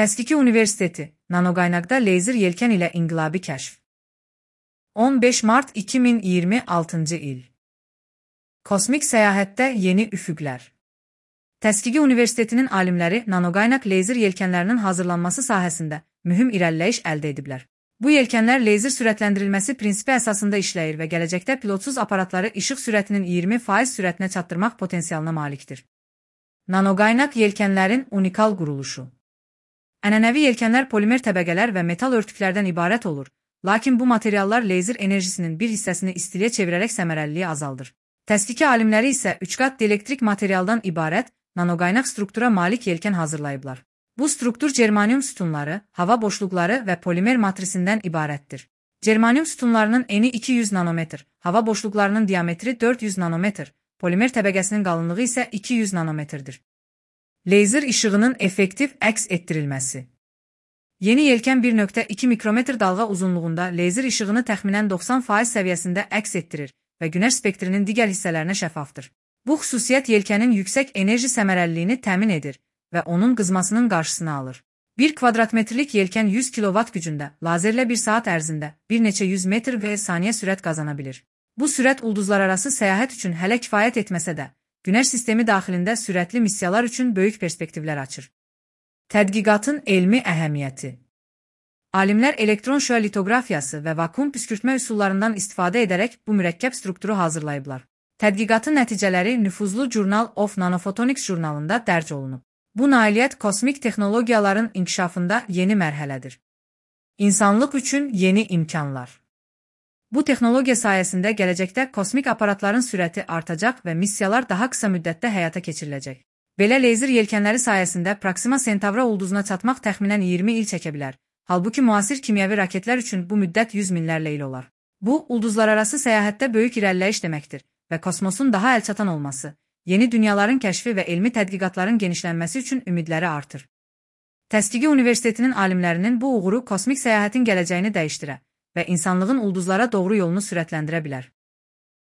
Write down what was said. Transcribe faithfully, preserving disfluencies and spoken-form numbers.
Təskiki Universiteti, nanoqaynaqda leyzer yelkən ilə inqilabi kəşf. on beş mart iki min iyirmi altıncı il. Kosmik səyahətdə yeni üfüqlər. Təskiki Universitetinin alimləri nanoqaynaq leyzer yelkənlərinin hazırlanması sahəsində mühüm irəliləyiş əldə ediblər. Bu yelkənlər leyzer sürətləndirilməsi prinsipi əsasında işləyir və gələcəkdə pilotsuz aparatları işıq sürətinin iyirmi faiz sürətinə çatdırmaq potensialına malikdir. Nanoqaynaq yelkənlərin unikal quruluşu. Ənənəvi yelkənlər polimer təbəqələr və metal örtüklərdən ibarət olur, lakin bu materiallar leyzer enerjisinin bir hissəsini istiliyə çevirərək səmərəliliyi azaldır. Təskiki alimləri isə üç qat dielektrik materialdan ibarət nanoqaynaq struktura malik yelkən hazırlayıblar. Bu struktur germanium sütunları, hava boşluqları və polimer matrisindən ibarətdir. Germanium sütunlarının eni iki yüz nanometr, hava boşluqlarının diametri dörd yüz nanometr, polimer təbəqəsinin qalınlığı isə iki yüz nanometrdir. Leyzer işığının effektiv əks etdirilməsi. Yeni yelkən bir nöqtə iki mikrometr dalğa uzunluğunda leyzer işığını təxminən doxsan faiz səviyyəsində əks etdirir və günəş spektrinin digər hissələrinə şəffafdır. Bu xüsusiyyət yelkənin yüksək enerji səmərəliliyini təmin edir və onun qızmasının qarşısını alır. bir kvadratmetrlik yelkən yüz kilovat gücündə, lazerlə bir saat ərzində bir neçə yüz metr və saniyə sürət qazana bilir. Bu sürət ulduzlararası səyahət üçün hələ kifayət etməsə də, Günəş sistemi daxilində sürətli missiyalar üçün böyük perspektivlər açır. Tədqiqatın elmi əhəmiyyəti. Alimlər elektron şüa litoqrafiyası və vakuum püskürtmə üsullarından istifadə edərək bu mürəkkəb strukturu hazırlayıblar. Tədqiqatın nəticələri nüfuzlu Journal of Nanophotonics jurnalında dərc olunub. Bu nailiyyət kosmik texnologiyaların inkişafında yeni mərhələdir. İnsanlıq üçün yeni imkanlar. Bu texnologiya sayəsində gələcəkdə kosmik aparatların sürəti artacaq və missiyalar daha qısa müddətdə həyata keçiriləcək. Belə leyzer yelkənləri sayəsində Proxima Centauri ulduzuna çatmaq təxminən iyirmi il çəkə bilər, halbuki müasir kimyəvi raketlər üçün bu müddət yüz minlərlə il olar. Bu, ulduzlararası səyahətdə böyük irəliləyiş deməkdir və kosmosun daha əlçatan olması, yeni dünyaların kəşfi və elmi tədqiqatların genişlənməsi üçün ümidləri artır. Təskiki Universitetinin alimlərinin bu uğuru kosmik səyahətin gələcəyini dəyişdirə və insanlığın ulduzlara doğru yolunu sürətləndirə bilər.